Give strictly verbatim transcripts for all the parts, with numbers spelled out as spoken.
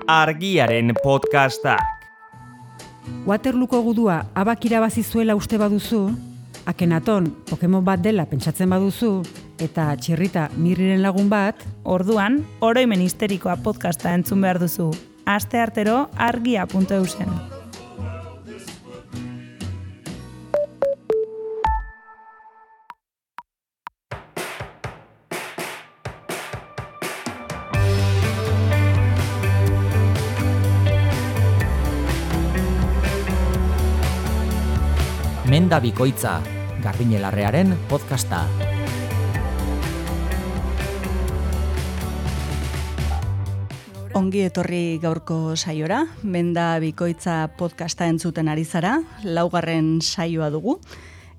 Argiaren podcastak. Waterlooko gudua abak irabazi zuela uste baduzu, Akenaton Pokemon bat dela pentsatzen baduzu, eta Txirrita Mirriren lagun bat, orduan, oroimen histerikoa podcasta entzun behar duzu. Aste artero argia puntu eusen. Menda bikoitza, Garbiñelarrearen podcasta. Ongi etorri gaurko saiora, Menda bikoitza podcasta entzuten ari zara, laugarren saioa dugu.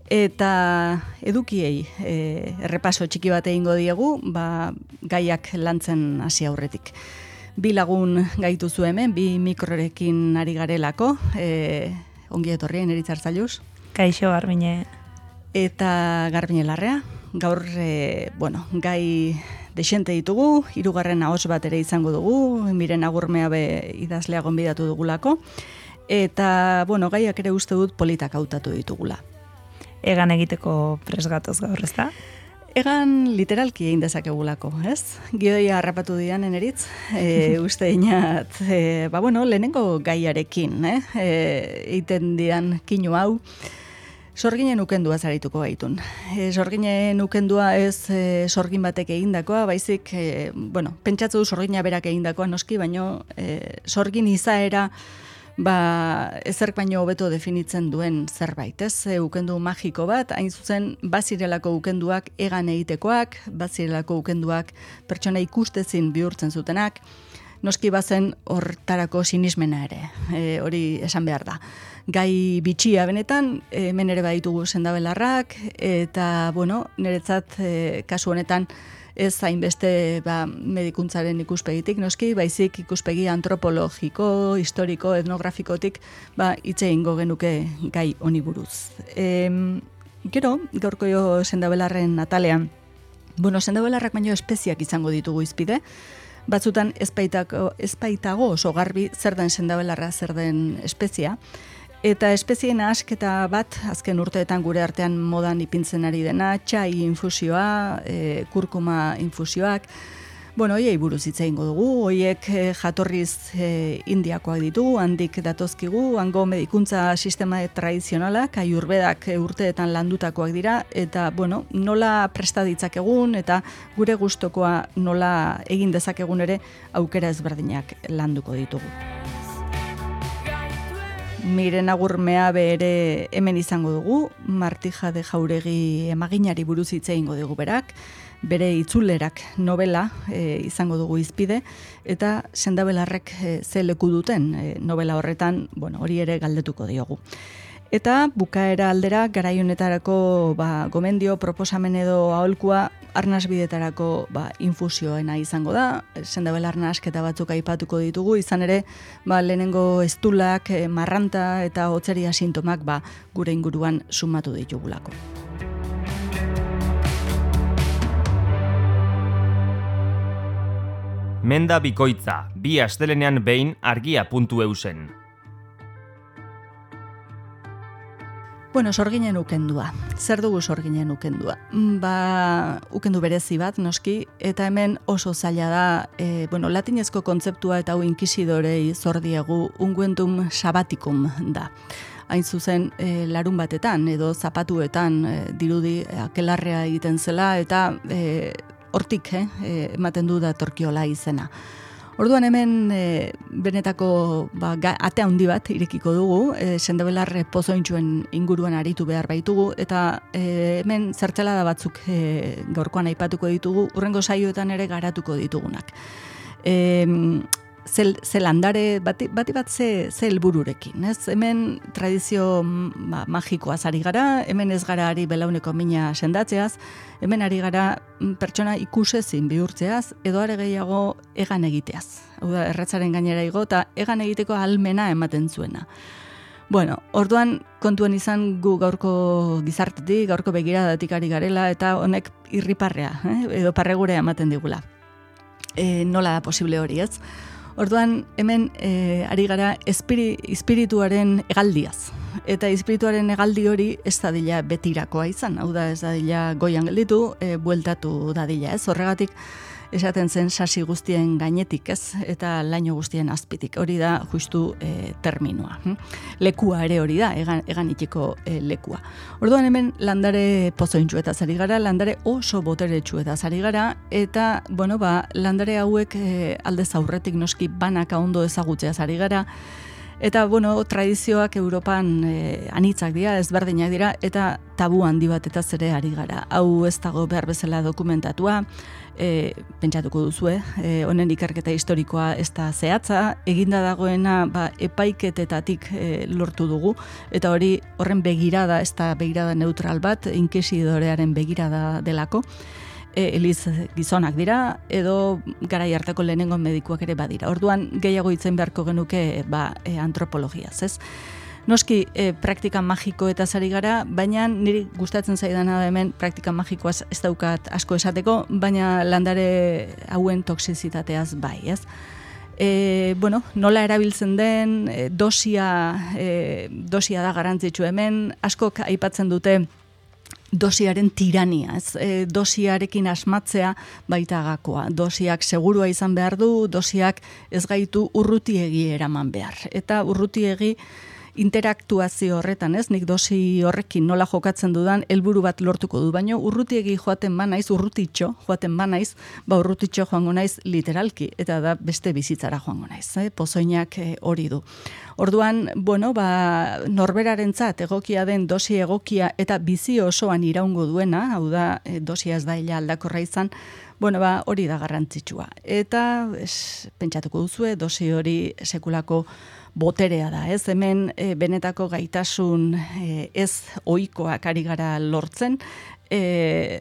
Eta edukiei e, errepaso txiki bat egingo diegu, ba, gaiak lantzen hasi aurretik. Bi lagun gaituzu hemen, bi mikrorekin ari garelako, e, ongi etorri, Eneritz Arzalluz. Kaixo, Garbine. Eta Garbiñelarrea. Gaur, e, bueno, gai desente ditugu, hirugarren ahots bat ere izango dugu, Miren Agurmea be idazlea gonbidatu dugulako. Eta, bueno, gaiak ere uste dut politak hautatu ditugula. Egan egiteko presgatoz gaur, ez da? Egan literalki egin dezakegulako, ez? Gidoia harrapatu dian, Eneritz, e, uste inat, e, ba, bueno, lehenengo gaiarekin, eh? E, eiten dian kinu hau, sorginen ukendua zarituko gaitun. E, sorginen ukendua ez e, sorgin batek egindakoa, baizik, e, bueno, pentsatzu du sorgina berak egindakoa noski, baino e, sorgin izaera ba, ezerk baino hobeto definitzen duen zerbait, ez? E, ukendu magiko bat, hain zuzen, bazirelako ukenduak egan egitekoak, bazirelako ukenduak pertsona ikustezin bihurtzen zutenak, noski bazen hortarako sinismena ere, e, hori esan behar da. Gai bitxia benetan, hemen ere baditugu sendabelarrak, eta, bueno, niretzat e, kasu honetan, ez hainbeste ba, medikuntzaren ikuspegitik, noski, baizik ikuspegi antropologiko, historiko, etnografikotik, ba, hitze egingo genuke gai honi buruz. E, gero, gaurko jo sendabelarren atalean, bueno, sendabelarrak baino espeziak izango ditugu izpide, batzutan ezpaitako, ezpaitago oso garbi zer den sendabelarra, zer den espezia, eta espezien asketa bat, azken urteetan gure artean modan ipintzen ari dena, txai infusioa, e, kurkuma infusioak, bueno, hoiei buruz hitz egingo dugu, hoiek e, jatorriz e, indiakoak ditugu, handik datozkigu, hango medikuntza sistema tradizionalak, aiurbedak e, urteetan landutakoak dira, eta, bueno, nola presta ditzakegun, eta gure gustokoa nola egin dezakegun ere aukera ezberdinak landuko ditugu. Miren Agurmea bere hemen izango dugu, Martija de Jauregi emaginari buruz hitz egingo dugu berak, bere itzulerak novela e, izango dugu izpide, eta sendabelarrek e, ze leku duten e, novela horretan, bueno, hori ere galdetuko diogu. Eta bukaera aldera garaionetarako ba, gomendio, proposamen edo aholkua arnasbidetarako ba, infusioena izango da, sendabelar nahasketa batzuk aipatuko ditugu, izan ere ba, lehenengo eztulak, e, marranta eta hotzeria sintomak ba, gure inguruan sumatu ditugulako. Menda bikoitza, bi astelenean behin argia puntu eusen. Bueno, sorginen ukendua. Zer dugu sorginen ukendua? Ba, ukendu berezi bat, noski, eta hemen oso zaila da, e, bueno, latinezko kontzeptua eta hau inkisidorei zor diegu unguentum sabaticum da. Hain zuzen, e, larun batetan edo zapatuetan e, dirudi akelarrea egiten zela, eta e, hortik eh, ematen du datorkiola izena. Orduan hemen e, benetako ba, ga, ate handi bat irekiko dugu, e, sendabelar pozointxuen inguruan aritu behar baitugu, eta e, hemen zertzelada batzuk e, gaurkoan aipatuko ditugu, urrengo saioetan ere garatuko ditugunak. E, zel, zel landare bati, bati bat ze, ze helbururekin, ez? Hemen tradizio ba, magikoaz ari gara, hemen ez gara ari belauneko mina sendatzeaz, hemen ari gara pertsona ikusezin bihurtzeaz, edo are gehiago egan egiteaz. Hau da, erretzaren gainera igo, eta egan egiteko ahalmena ematen zuena. Bueno, orduan kontuan izan gu gaurko gizartetik, gaurko begiradatik ari garela, eta honek irriparrea, eh? edo parregurea ematen digula. E, nola da posible hori, ez? Orduan, hemen e, ari gara espiri, espirituaren hegaldiaz. Eta espirituaren hegaldi hori ez dadila betirakoa izan. Hau da, ez dadila goian gelditu, e, bueltatu dadila, ez? Horregatik, esaten zen sasi guztien gainetik, ez? Eta laino guztien azpitik. Hori da justu e, terminoa. Hm? Lekua ere hori da, egan, eganitiko e, lekua. Orduan hemen landare pozointxu eta zari gara, landare oso boteretsu eta zari gara, eta, bueno, ba, landare hauek e, aldez aurretik noski banaka ondo ezagutzea zari gara, eta, bueno, tradizioak Europan e, anitzak dira, ezberdinak dira, eta tabu handi bat eta zere ari gara. Hau ez dago behar bezala dokumentatua, e, pentsatuko duzue, e, honen ikerketa historikoa ez da zehatza, eginda dagoena ba, epaiketetatik e, lortu dugu, eta hori horren begirada, ez da begirada neutral bat, inkesidorearen begirada delako, e, eliz gizonak dira, edo garai hartako lehenengo medikuak ere badira. Orduan gehiago itzen beharko genuke ba, e, antropologiaz, ez? Noski, e, praktika magiko eta zari gara, baina niri gustatzen zaidana da hemen praktika magikoaz ez daukat asko esateko, baina landare hauen toxizitateaz bai, ez? E, bueno, nola erabiltzen den, e, dosia, e, dosia da garrantzitsu hemen, askok aipatzen dute dosiaren tirania, ez? E, dosiarekin asmatzea baita gakoa. Dosiak segurua izan behar du, dosiak ez gaitu urrutiegi eraman behar. Eta urrutiegi interaktuazio horretan, ez? Nik dosi horrekin nola jokatzen dudan helburu bat lortuko du, baina urrutiegi joaten banaiz, urrutitxo joaten banaiz, ba urrutitxo joango naiz literalki, eta da beste bizitzara joango naiz, eh? Pozoinak eh, hori du. Orduan, bueno, ba, norberarentzat egokia den dosi egokia eta bizi osoan iraungo duena, hau da, eh, dosia ez da ila aldakorra izan, bueno, ba, hori da garrantzitsua. Eta, es, pentsatuko duzue, dosi hori sekulako boterea da, ez? Hemen e, benetako gaitasun e, ez ohikoak ari gara lortzen, e,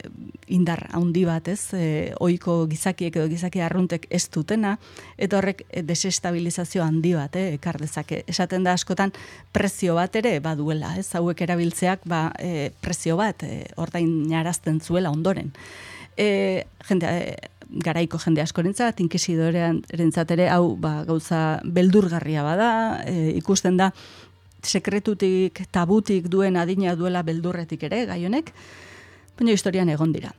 indar handi bat, ez? E, ohiko gizakiek edo gizaki arruntek ez dutena, eta horrek e, desestabilizazio handi bat, eh, ekar dezake. Esaten da askotan prezio bat ere baduela, ez? Hauek erabiltzeak ba, e, prezio bat e, ordainarazten zuela ondoren. E, jende, e, garaiko jende askorentzat, inkesidorearentzat ere hau ba, gauza beldurgarria bada, e, ikusten da sekretutik, tabutik duen adina duela beldurretik ere, gai honek, baina historian egon dira.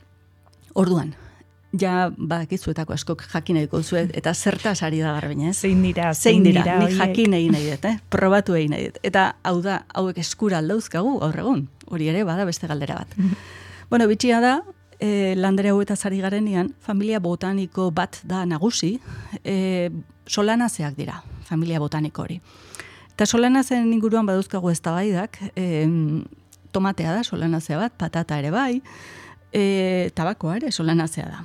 Orduan, ja badakizuetako askok jakin nahiko zuet, eta zertaz ari da garbina, ez? Zein dira, zein dira, dira nik jakin egin nahi dut, eh? Probatu egin nahi dut. Eta hau da, hauek eskura aldauzkagu gaur egun, hori ere bada beste galdera bat. Bueno, bitxia da, E, landare hauetaz ari garenean, familia botaniko bat da nagusi, e, solanazeak dira, familia botaniko hori. Eta solanazen inguruan baduzkagu eztabaidak, e, tomatea da solanazea bat, patata ere bai, e, tabakoa ere solanazea da.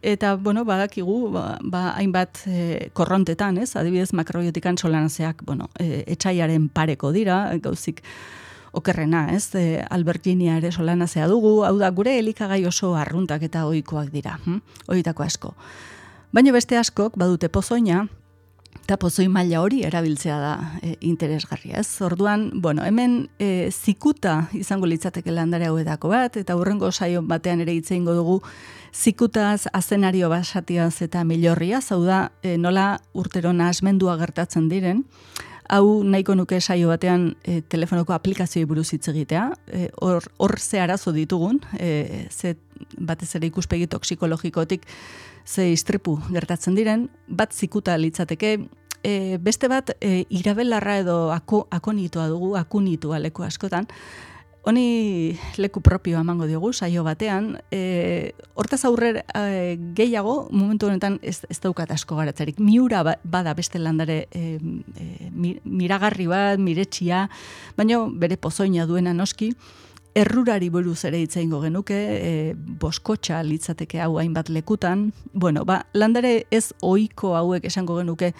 Eta, bueno, badakigu, ba, ba, hainbat e, korrontetan, ez? Adibidez, makrobiotikan solanazeak, bueno, e, etxaiaren pareko dira, gauzik, okerrena, ez? E, alberginia ere solanazea dugu, hau da, gure elikagai oso arruntak eta ohikoak dira, hm? Horietako asko. Baina beste askok badute pozoina, eta pozoi maila hori erabiltzea da e, interesgarria, ez? Orduan, bueno, hemen e, zikuta izango litzateke landare hauetako bat, eta hurrengo saio batean ere hitz egingo dugu zikutaz, azenario basatiaz eta milorriaz, hau da, e, nola urtero nahasmendua gertatzen diren. Hau nahiko nuke saio batean e, telefonoko aplikazioi buruz hitz egitea, e, hor, hor ze arazo ditugun, e, ze batez ere ikuspegi toxikologikotik ze istripu gertatzen diren, bat zikuta litzateke, e, beste bat e, irabelarra edo ako, akonitoa dugu, akunitua leku askotan, honi leku propioa emango diogu saio batean, e, hortaz aurrer e, gehiago, momentu honetan ez, ez daukat asko garatzarik. Miura bada beste landare e, e, miragarri bat, miretsia, baina bere pozoina duena noski, errurari buruz ere hitz egingo genuke, e, boskotxa litzateke hau hainbat lekutan, bueno, ba, landare ez ohiko hauek esango genuke,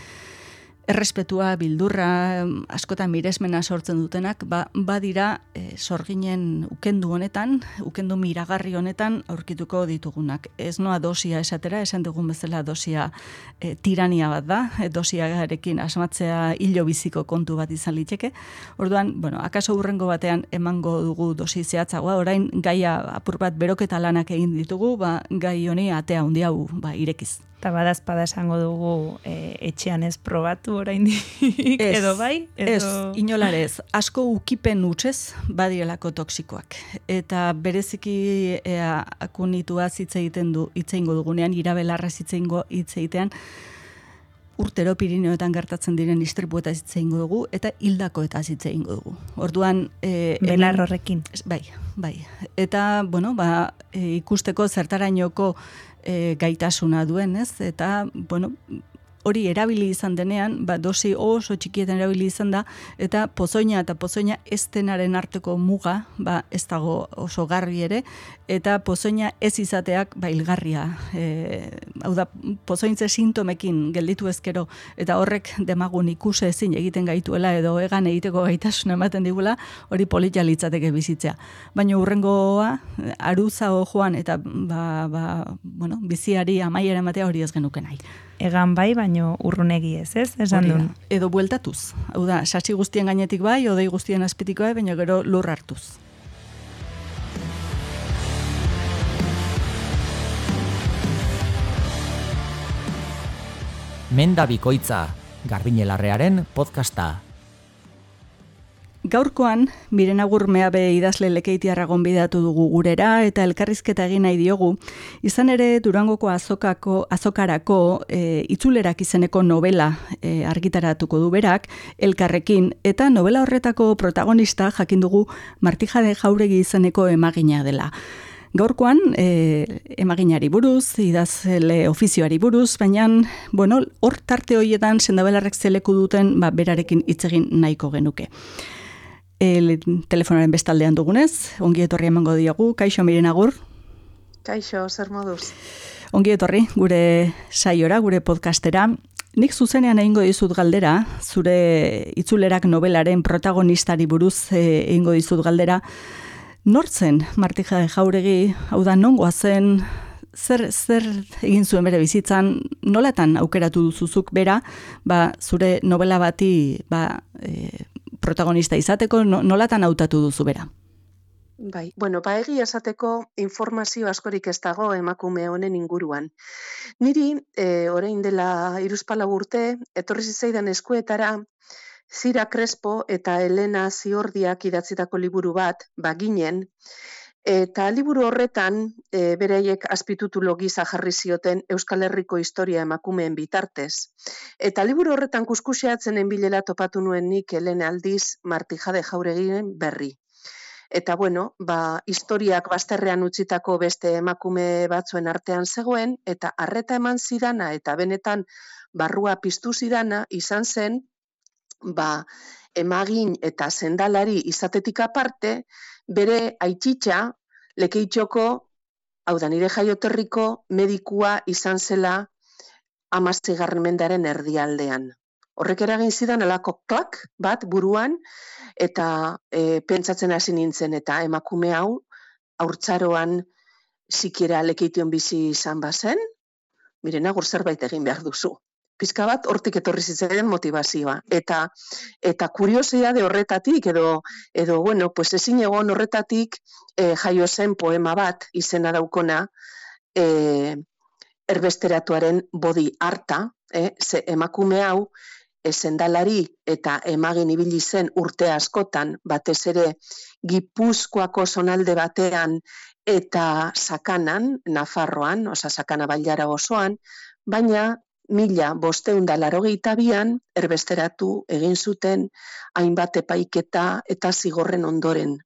errespetua, bildurra, askotan miresmena sortzen dutenak, ba, badira e, sorginen ukendu honetan, ukendu miragarri honetan aurkituko ditugunak. Ez noa dosia esatera, esan dugun bezala dosia e, tirania bat da, e, dosiarekin asmatzea hilo biziko kontu bat izan liteke. Orduan, bueno, akaso hurrengo batean emango dugu dosi zehatzagoa, orain gaia apur bat beroketa lanak egin ditugu, ba, gai honi atea handi hau ba, irekiz. Eta badazpada esango dugu e, etxean ez probatu oraindik edo bai? Edo... Ez, inolarez, asko ukipen utxez badirelako toksikoak. Eta bereziki ea, akunitua hitz egiten du, hitz egingo dugunean, irabelarra hitz egingo hitz egitean, urtero Pirineoetan gertatzen diren istripuetaz hitz egingo dugu, eta hildakoetaz hitz egingo dugu. Orduan... E, Belar horrekin. Bai, bai. Eta, bueno, ba, e, ikusteko zertarainoko e, gaitasuna duen, ez? Eta, bueno, hori erabili izan denean, ba, dosi oso txikietan erabili izan da, eta pozoina eta pozoina estenaren arteko muga, ba, ez dago oso garbi ere, eta pozoina ez izateak, ba, hilgarria. E, hau da, pozointze sintomekin gelditu ezkero, eta horrek demagun ikuse ezin egiten gaituela, edo egan egiteko gaitasuna ematen digula, hori politia litzateke bizitzea. Baina urrengoa, aruza joan, eta ba, ba, bueno, biziari amaiera ematea hori ez genuke nahi. Egan bai, baino urrunegi ez, ez? Esan duen. Edo bueltatuz. Hau da, sasi guztien gainetik bai, odei guztien azpitik bai, baina gero lur hartuz. Menda Bikoitza, Garbiñelarrearen podcasta. Gaurkoan, Miren Agur Meabe idazle Lekeitiarra gonbidatu dugu gurera eta elkarrizketa egin nahi diogu. Izan ere Durangoko azokako, azokarako e, itzulerak izeneko novela e, argitaratuko du berak, elkarrekin, eta novela horretako protagonista jakin dugu Martijade Jauregi izeneko emagina dela. Gaurkoan, e, emaginari buruz, idazle ofizioari buruz, baina, bueno, hor tarte horietan sendabelarrek zeleku duten, ba, berarekin hitz egin nahiko genuke. El telefonaren bestaldean dugunez, ongi etorri emango diogu. Kaixo, Miren Agur. Kaixo, zer moduz. Ongi etorri, gure saiora, gure podcastera. Nik zuzenean egingo dizut galdera, zure itzulerak novelaren protagonistari buruz e, egingo dizut galdera. Nortzen Martijade Jauregi, hau da nongoa zen, zer, zer egin zuen bere bizitzan, nolatan aukeratu duzuzuk bera, ba, zure novela bati ba, e, protagonista izateko, nolatan hautatu duzu bera? Bai, bueno, ba egia esateko informazio askorik ez dago emakume honen inguruan. Niri, e, orain dela hiruzpalau urte, etorri zitzaidan eskuetara, Zira Crespo eta Elena Ziordiak idatzitako liburu bat, baginen, eta liburu horretan e, beraiek azpititulo gisa jarri zioten Euskal Herriko historia emakumeen bitartez. Eta liburu horretan kuskuseatzenen bilela topatu nuen nik Elena aldiz Martijade Jauregiren berri. Eta bueno, ba, historiak bazterrean utzitako beste emakume batzuen artean zegoen, eta arreta eman zidana eta benetan barrua piztu zidana izan zen, ba, emagin eta sendalari izatetik aparte, bere aititxa, Lekeitioko, hau da nire jaioterriko medikua izan zela hamaseigarren mendearen erdialdean. Horrek eragin zidan alako klak bat buruan, eta e, pentsatzen hasi nintzen, eta emakume hau, haurtzaroan sikiera Lekeition bizi izan bazen, Miren Agur zerbait egin behar duzu. Pizka bat hortik etorri zitzaidan motivazioa. Eta eta kuriositate horretatik, edo, edo bueno, pues ezin egon horretatik e, jaio zen poema bat, izena daukona, e, erbesteratuaren bodi harta, e, ze emakume hau, e, sendalari eta emagin ibili zen urte askotan, batez ere Gipuzkoako zonalde batean eta Sakanan, Nafarroan, oza Sakana bailara osoan, baina mila bosteun da laurogeita bian erbesteratu egin zuten hainbat epaiketa eta zigorren ondoren.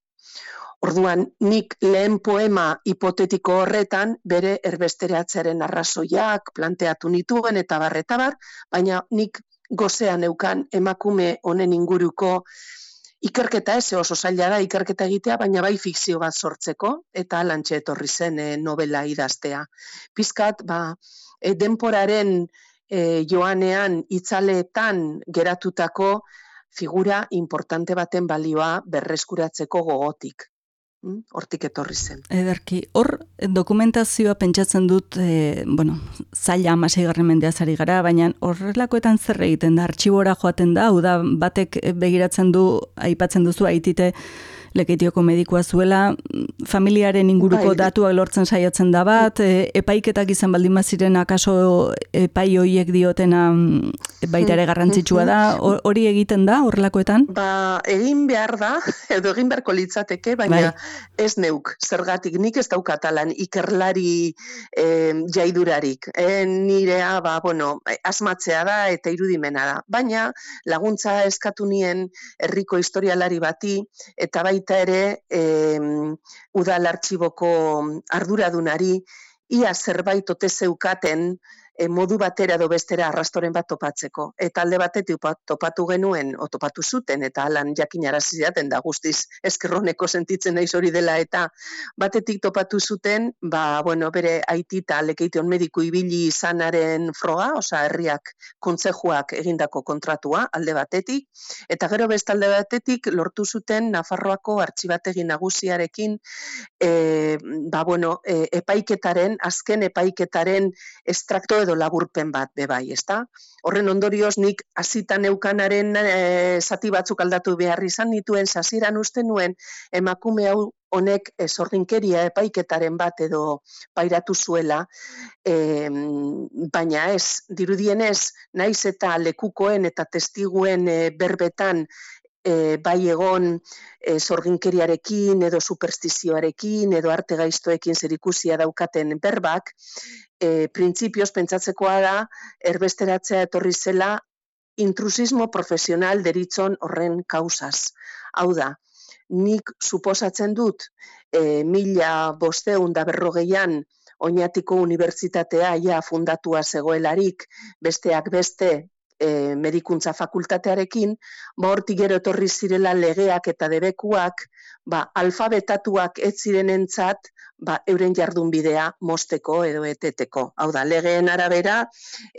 Orduan, nik lehen poema hipotetiko horretan bere erbesteratzearen arrazoiak planteatu nituen eta barreta bar, baina nik gozean eukan emakume honen inguruko ikerketa, ez oso zaila da ikerketa egitea, baina bai fikzio bat sortzeko, eta alantxe etorri zen e, novela idaztea. Pizkat, ba, e, denporaren e, joanean itzaleetan geratutako figura importante baten balioa berreskuratzeko gogotik. Hortik etorri zen. Ederki, hor dokumentazioa pentsatzen dut, e, bueno, zaila hamaseigarren mendeaz ari gara, baina horrelakoetan zer egiten da, artxibora joaten da, hau da, batek begiratzen du, aipatzen duzu, aitite Lekeitioko medikua zuela, familiaren inguruko bai. datuak lortzen saiatzen da bat, e, epaiketak izan baldin baziren akaso epai hoiek diotena baita ere garrantzitsua da, hori egiten da horrelakoetan? Ba, egin behar da, edo egin beharko litzateke, baina bai. Ez neuk, zergatik nik ez daukatalan ikerlari e, jaidurarik. E, nirea, ba, bueno, asmatzea da eta irudimena da. Baina laguntza eskatu nien herriko historialari bati, eta baita ere e, udal artxiboko arduradunari, ia zerbait ote zeukaten e, modu batera edo bestera arrastoren bat topatzeko. Eta alde batetik topatu genuen, o topatu zuten, eta alan jakinarazi zidaten da guztiz eskerroneko sentitzen naiz hori dela, eta batetik topatu zuten, ba, bueno, bere aiti eta Lekeition mediku ibili izanaren froga, osea herriak kontzejuak egindako kontratua alde batetik, eta gero beste alde batetik lortu zuten Nafarroako artxibategi nagusiarekin e, ba, bueno, e, epaiketaren, azken epaiketaren estrakto edo laburpen bat bebai, ezta? Horren ondorioz nik hasita neukanaren e, zati batzuk aldatu behar izan nituen, sasiran uste nuen emakume hau honek sorginkeria epaiketaren bat edo pairatu zuela, e, baina ez, dirudienez, naiz eta lekukoen eta testiguen e, berbetan E, bai egon e, sorginkeriarekin edo superstizioarekin edo arte gaiztoekin zerikusia daukaten berbak, e, printzipioz pentsatzekoa da erbesteratzea etorri zela intrusismo profesional deritzon horren kausaz. Hau da, nik suposatzen dut e, mila bosteun da berrogeian Oñatiko Unibertsitatea ja fundatua zegoelarik, besteak beste E, medikuntza fakultatearekin, ba hortik gero etorri zirela legeak eta debekuak, ba alfabetatuak ez zirenentzat, ba euren jardunbidea mosteko edo eteteko. Hau da, legeen arabera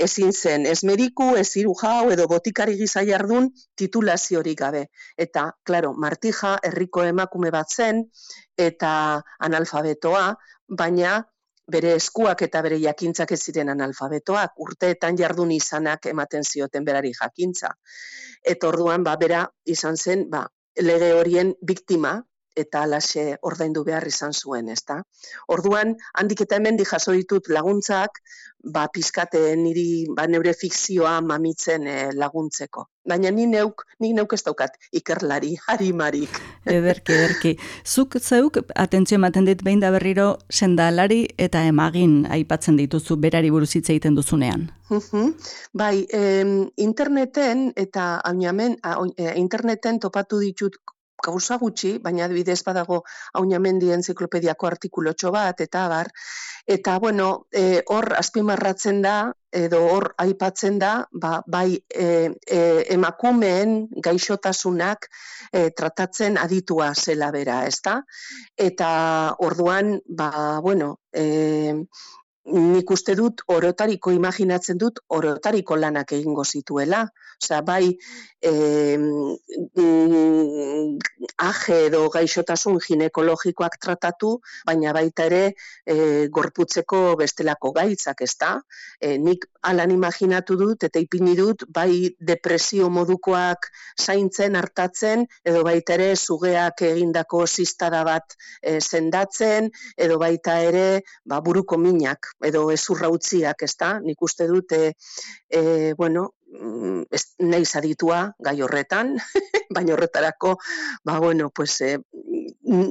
ezin zen ez mediku, ez zirujau edo botikari gisa jardun titulaziorik gabe. Eta, claro, Martija herriko emakume bat zen eta analfabetoa, baina bere eskuak eta bere jakintzak ez ziren analfabetoak, urteetan jardun izanak ematen zioten berari jakintza. Eta orduan, ba, bera izan zen, ba, lege horien biktima, eta alaxe ordaindu behar izan zuen, ezta? Orduan, handik eta hemendik jaso ditut laguntzak, ba, pizkate niri, ba, neure fikzioa mamitzen eh, laguntzeko. Baina ni neuk, ni neuk ez daukat ikerlari, harimarik. Ederki, ederki. Zuk zeuk, atentzio ematen dit behin da berriro, sendalari eta emagin aipatzen dituzu berari buruz hitz egiten duzunean. Bai, eh, interneten eta ainamen, interneten topatu ditut gauza gutxi, baina adibidez badago Aunamendi enziklopediako artikulotxo bat, eta abar, eta bueno, e, hor azpimarratzen da, edo hor aipatzen da, ba, bai e, e, emakumeen gaixotasunak e, tratatzen aditua zela bera, ezta? Eta orduan, ba, bueno, e, nik uste dut orotariko imaginatzen dut orotariko lanak egingo zituela. Osea, bai eh, aje edo gaixotasun ginekologikoak tratatu, baina baita ere eh, gorputzeko bestelako gaitzak, ezta? Eh, nik alan imaginatu dut eta ipini dut bai depresio modukoak zaintzen, hartatzen, edo baita ere sugeak egindako zistada bat eh, sendatzen, edo baita ere ba, buruko minak edo ezurra utziak, ezta? Nik uste dut, e, e, bueno, ez, nahi zaditua gai horretan, baina horretarako, ba, bueno, pues, e,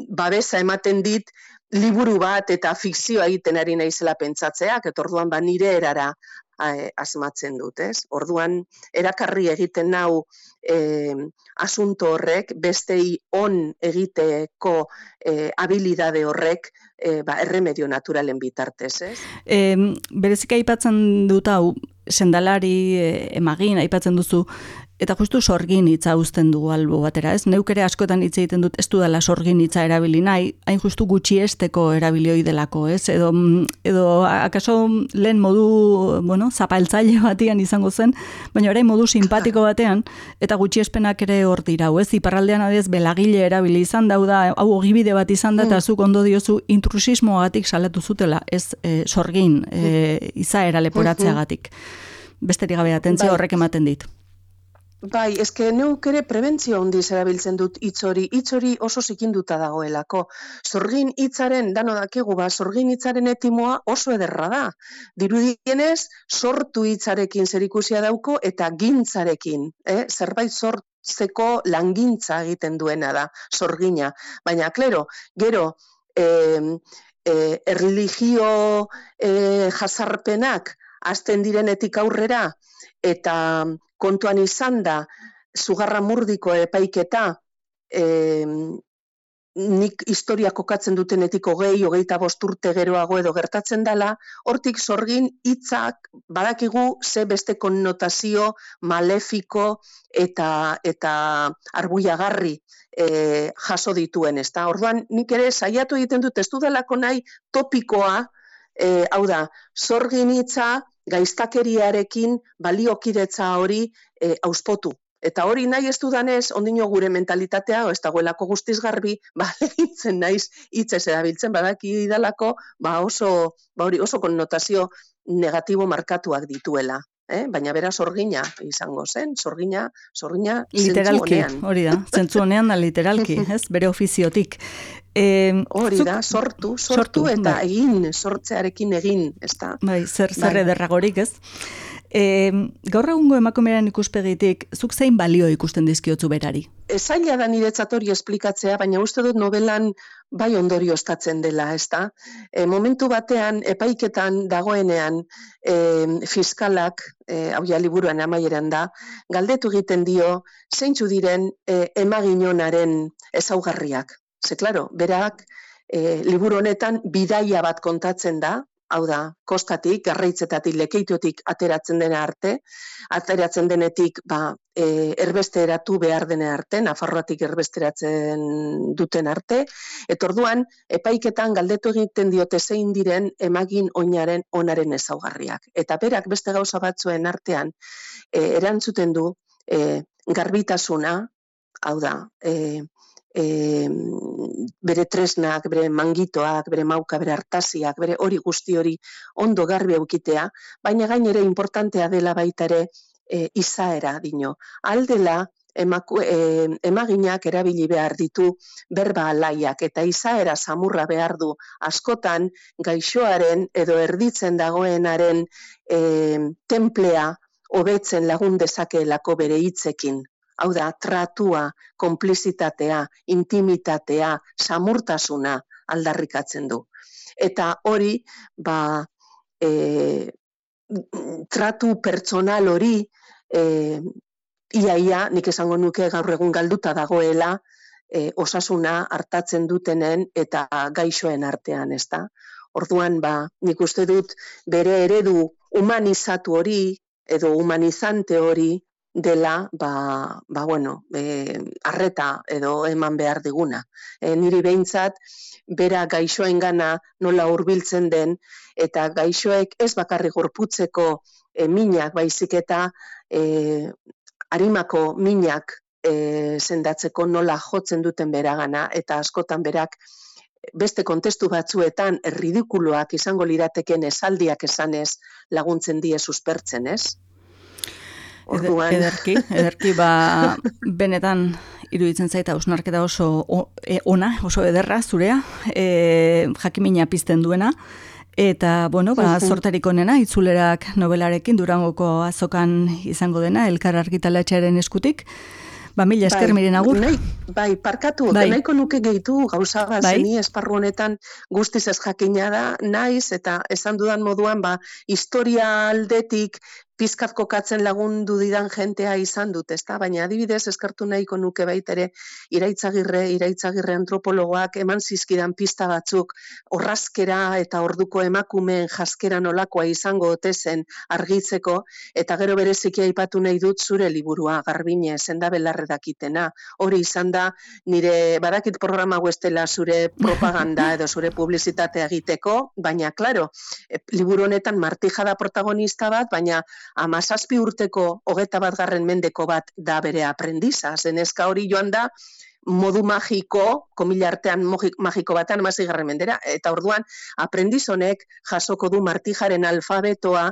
babesa ematen dit, liburu bat eta fikzioa egiten ari naizela pentsatzeak, eta orduan ba nire erara e, asmatzen dut, ez? Orduan, erakarri egiten nau e, asunto horrek, bestei on egiteko e, habilidade horrek, E, ba, erremedio naturalen bitartez, ez? E, berezik aipatzen dut hau, sendalari, e, emagin, aipatzen duzu, eta justu sorgin hitza uzten dugu albo batera, ez? Neuk ere askotan hitz egiten dut ez dudala sorgin hitza erabili nahi, hain justu gutxiesteko erabilioi delako, ez? Edo, edo akaso lehen modu, bueno, zapaltzaile batian izango zen, baina orain modu simpatiko batean, eta gutxiespenak ere hor dira, ez? Iparraldean adez belagile erabili izan da, da, hau ogibide bat izan da, eta zuk ondo diozu intrusismoagatik salatu zutela, ez e, sorgin e, izaera leporatzeagatik. Besterik gabe atentzia horrek ematen dit. Bai, eske neuk ere prebentzio handiz erabiltzen dut hitz hori, hitz hori oso zikinduta dagoelako. Sorgin hitzaren, dano dakigu, ba, sorgin hitzaren etimoa oso ederra da. Dirudienez, sortu hitzarekin zerikusia dauko eta gintzarekin, eh? Zerbait sortzeko langintza egiten duena da, sorgina. Baina, klero, gero, eh, eh, erligio eh, jasarpenak hasten direnetik aurrera, eta kontuan izan da, Zugarra Murdiko epaiketa, e, nik historia kokatzen dutenetik hogei, hogeita bost urte geroago edo gertatzen dela, hortik sorgin hitzak badakigu ze beste konnotazio malefiko eta, eta arbuiagarri e, jaso dituen, ezta? Orduan, nik ere saiatu egiten dut, ez dudalako nahi topikoa, e, hau da, sorgin hitza, gaiztakeriarekin baliokidetza hori e, auspotu. Eta hori nahi ez dudanez, ondino gure mentalitatea, ez dagoelako guztiz garbi, ba, legintzen naiz hitzez erabiltzen, badaki dalako, ba oso, ba hori oso konnotazio negatibo markatuak dituela. Eh? Baina bera sorgina izango zen, sorgina, sorgina literalki, zentzu honean. hori da, zentzu honean da literalki, ez, bere ofiziotik. E, hori zuk, da, sortu, sortu, sortu eta bai. egin, sortzearekin egin, ez da? Bai, zer, zer Bai. ederragorik, ez? E, gaur egungo emakumearen ikuspegitik, zuk zein balio ikusten dizkiotzu berari? Zaila da niretzat hori esplikatzea, baina uste dut novelan bai ondorioztatzen dela, ez da? E, momentu batean, epaiketan dagoenean, e, fiskalak, e, hau ja liburuan amaieran da, galdetu egiten dio, zeintzu diren e, emaginonaren ezaugarriak. Ze, klaro, berak, e, liburu honetan bidaia bat kontatzen da, hau da, kostatik, garraitzetatik, lekeitotik ateratzen dena arte, ateratzen denetik, ba, e, erbesteratu behar dena arte, Nafarroatik erbesteratzen duten arte, eta orduan, epaiketan galdetu egiten diote zein diren emagin oinaren onaren ezaugarriak. Eta berak beste gauza batzuen artean, e, erantzuten du, e, garbitasuna, hau da, e, E, bere tresnak, bere mangitoak, bere mauka, bere artasiak, bere hori guzti hori ondo garbi eukitea, baina gainere importantea dela baita ere e, izaera dino. Aldela emaku, e, emaginak erabili behar ditu berba alaiak eta izaera samurra behar du askotan gaixoaren edo erditzen dagoenaren e, templea hobetzen lagun dezakeelako bere hitzekin. Hau da, tratua, konplizitatea, intimitatea, samurtasuna aldarrikatzen du. Eta hori, ba, e, tratu pertsonal hori, e, iaia, nik esango nuke gaur egun galduta dagoela, e, osasuna hartatzen dutenen eta gaixoen artean, ezta? Orduan, ba, nik uste dut bere eredu humanizatu hori, edo humanizante hori, dela, ba, ba bueno, e, arreta edo eman behar diguna. E, niri behintzat, bera gaixoengana nola hurbiltzen den, eta gaixoek ez bakarrik gorputzeko e, minak baizik eta e, arimako minak e, sendatzeko nola jotzen duten beragana, eta askotan berak beste kontestu batzuetan erridikuloak izango lirateken esaldiak esanez laguntzen die suspertzen, ez? Orduan. Ederki, ederki, ba, benetan iruditzen zaita hausnarketa oso e, ona, oso ederra zurea, e, jakimina pizten duena, eta, bueno, ba, zortarik onena, itzulerak nobelarekin Durangoko azokan izango dena, Elkar argitaletxearen eskutik. Ba, mila esker miren agur. Nahi, bai, parkatu, bai. Nahiko nuke gehitu gauza bat, bai. Zeni esparru honetan guztiz ez jakina da, naiz, eta esan dudan moduan, ba, historia aldetik pizkat kokatzen lagundu didan jentea izan dut, ezta? Baina adibidez eskartu nahiko nuke baitere Iraitzagirre, Iraitzagirre antropologoak eman zizkidan pista batzuk orrazkera eta orduko emakumeen jaskera nolakoa izango ote zen argitzeko, eta gero bereziki aipatu nahi dut zure liburua, Garbine, sendabelarre dakitena. Hori izan da, nire badakit programa guestela zure propaganda edo zure publizitatea egiteko, baina, klaro, liburu honetan Martija da protagonista bat, baina amazazpi urteko hogeta bat garren mendeko bat da bere aprendiza. Zenezka hori joan da modu magiko, komila artean magiko batean amazazpi garren mendera, eta orduan aprendiz honek jasoko du Martijaren alfabetoa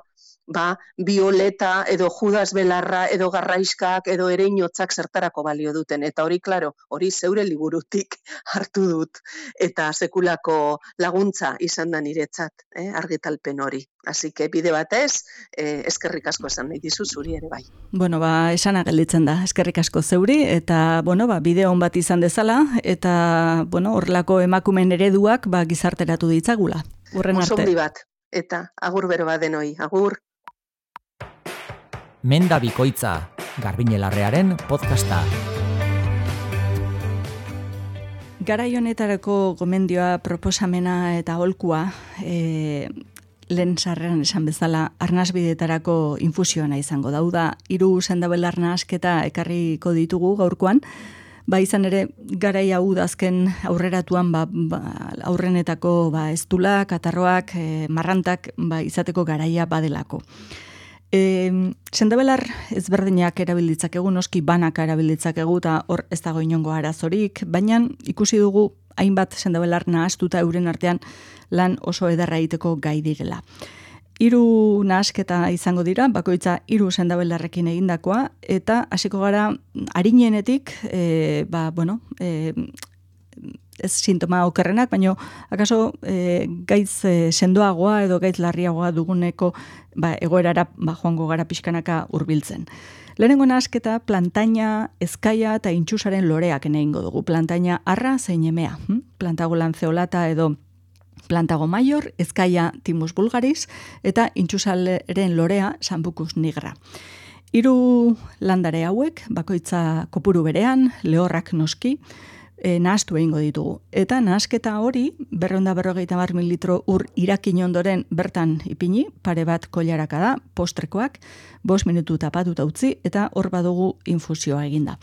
ba, violeta edo judas belarra edo garraiskak edo ereinotzak zertarako balio duten. Eta hori, klaro, hori zeure liburutik hartu dut. Eta sekulako laguntza izan da niretzat, eh, argitalpen hori. Así que bide batez, eh, eskerrik asko esan nahi dizu zuri ere bai. Bueno, ba, esana gelditzen da, eskerrik asko zeuri, eta, bueno, ba, bideo on bat izan dezala, eta, bueno, horrelako emakumen ereduak, ba, gizarteratu ditzagula. Urren arte. Oso bat, eta agur bero bat denoi, agur. Menda Bikoitza, Garbiñe Larrearen podcasta. Garai honetarako gomendioa, proposamena eta aholkua, e, lehen sarreran esan bezala, arnasbideetarako infusioana izango dauda. Hiru sendabelar nahasketa ekarriko ditugu gaurkoan, ba izan ere garai hau dazken aurreratuan ba, ba, aurrenetako ba, estula, katarroak, e, marrantak ba, izateko garaia badelako. E, sendabelar ezberdinak erabilditzakegu, noski banaka erabilditzakegu eta hor ez dago inongo arazorik, baina ikusi dugu hainbat sendabelar nahastuta euren artean lan oso ederra egiteko gai direla. Hiru nahasketa izango dira, bakoitza hiru sendabelarrekin egindakoa, eta hasiko gara arinenetik, e, ba, bueno, e, ez sintoma okerrenak, baina akaso e, gaitz e, sendoagoa edo gaitz larriagoa duguneko ba, egoerara ba, joango gara pixkanaka hurbiltzen. Lehenengo nahasketa plantaina, ezkaia eta intxusaren loreak egingo dugu. Plantaina arra zein emea. Hm? Plantago lanceolata edo plantago maior, ezkaia timus vulgaris eta intxusaren lorea sambucus nigra. Hiru landare hauek, bakoitza kopuru berean, lehorrak noski, E, nahastu egingo ditugu. Eta nahasketa hori, berrehun eta berrogeita hamar mililitro ur irakin ondoren bertan ipini, pare bat koilaraka da, postrekoak, bost minutu tapatuta utzi, eta hor badugu infusioa eginda.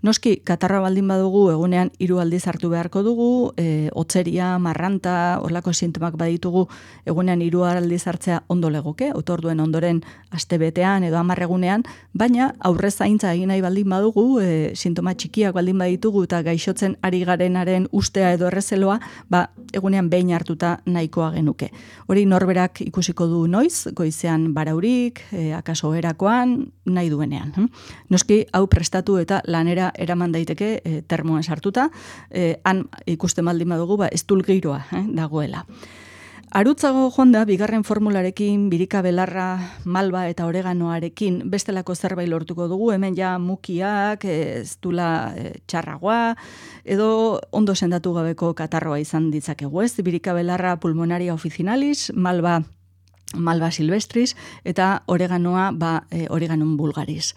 Noski, katarra baldin badugu, egunean hiru aldiz hartu beharko dugu, e, otzeria, marranta, horlako sintomak baditugu, egunean hiru aldiz hartzea ondo legoke, otorduen ondoren astebetean edo hamar egunean, baina aurrez zaintza egin nahi baldin badugu, e, sintoma txikiak baldin baditugu eta gaixotzen ari garenaren ustea edo errezeloa, ba, egunean behin hartuta nahikoa genuke. Hori norberak ikusiko du noiz, goizean baraurik, e, akaso erakoan, nahi duenean. Hm? Noski, hau prestatu eta lanera eraman daiteke e, termoan sartuta, e, han ikusten baldin badugu, ba, estul giroa eh, dagoela. Arutzago jonda, bigarren formularekin, birika belarra, malba eta oreganoarekin bestelako zerbait lortuko dugu, hemen ja mukiak, ez dula e, txarragoa, edo ondo sendatu gabeko katarroa izan ditzakegu, ez? Birika belarra pulmonaria officinalis, malba malba silvestris, eta oreganoa ba, e, oreganon vulgaris.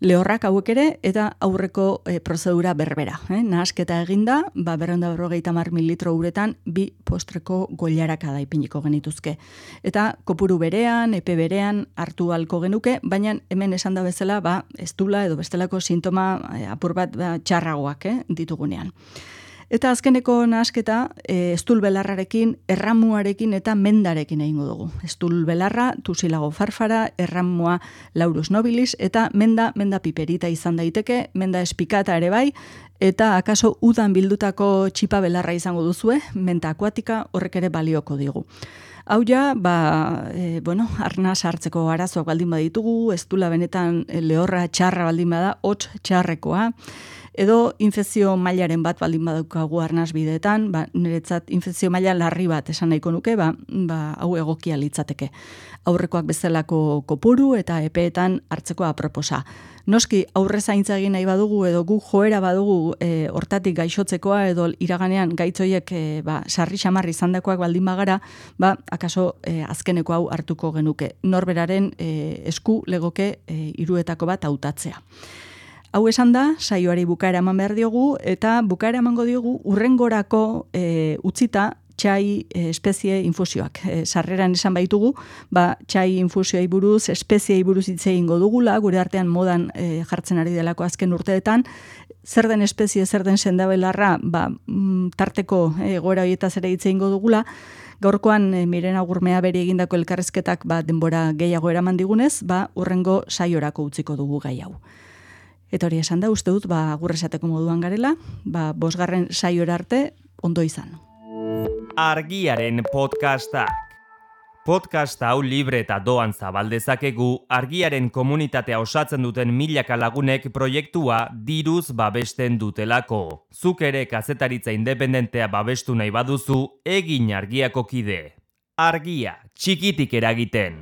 Lehorrak hauek ere, eta aurreko e, prozedura berbera. Eh? Nahasketa eginda, ba, berrehun eta berrogeita hamar mililitro uretan, bi postreko goilaraka da ipiniko genituzke. Eta kopuru berean, epe berean, hartu halko genuke, baina hemen esan da bezala, ba, estula edo bestelako sintoma e, apur bat ba, txarragoak eh, ditugunean. Eta azkeneko nahasketa, e, estul belarrarekin, erramuarekin eta mendarekin egingo dugu. Estul belarra, tusilago farfara, erramua laurus nobilis, eta menda, menda piperita izan daiteke, menda espikata ere bai, eta akaso udan bildutako txipa belarra izango duzue, menta akuatika horrek ere balioko digu. Hau ja, ba, e, bueno, arnaz hartzeko arazoak baldin baditugu, estula benetan lehorra txarra baldin bada, hots txarrekoa, edo infekzio mailaren bat baldin badaukagu arnaz bideetan, ba, niretzat infekzio maila larri bat esan nahiko nuke, ba, ba, hau egokia litzateke. Aurrekoak bezalako kopuru eta epeetan hartzeko aproposa. Noski, aurre zaintza egin nahi badugu edo gu joera badugu e, hortatik gaixotzekoa edo iraganean gaitzoiek e, ba, sarri xamarri izandakoak baldin bagara, ba, akaso e, azkeneko hau hartuko genuke. Norberaren e, esku legoke e, hiruetako bat hautatzea. Hau esan da, saioari bukaera eman behar diogu, eta bukaera emango diogu urrengorako e, utzita txai e, espezie infusioak. E, sarreran esan baitugu, ba, txai infusioai buruz, espeziei buruz hitz egingo dugula, gure artean modan e, jartzen ari delako azken urteetan, zer den espezie, zer den sendabelarra, ba, tarteko e, egoera horietaz ere hitz egingo dugula. Gaurkoan e, Miren Agurmea beri egindako elkarrizketak ba, denbora gehiago eraman digunez, ba, urrengo saiorako utziko dugu gai hau. Eta hori esan da, uste dut, ba, agur esateko moduan garela, ba, bosgarren saiora arte, ondo izan. Argiaren podcastak. Podcast hau libre eta doan zabaldezakegu argiaren komunitatea osatzen duten milaka lagunek proiektua diruz babesten dutelako. Zuk ere kazetaritza independentea babestu nahi baduzu, egin Argiako kide. Argia, txikitik eragiten.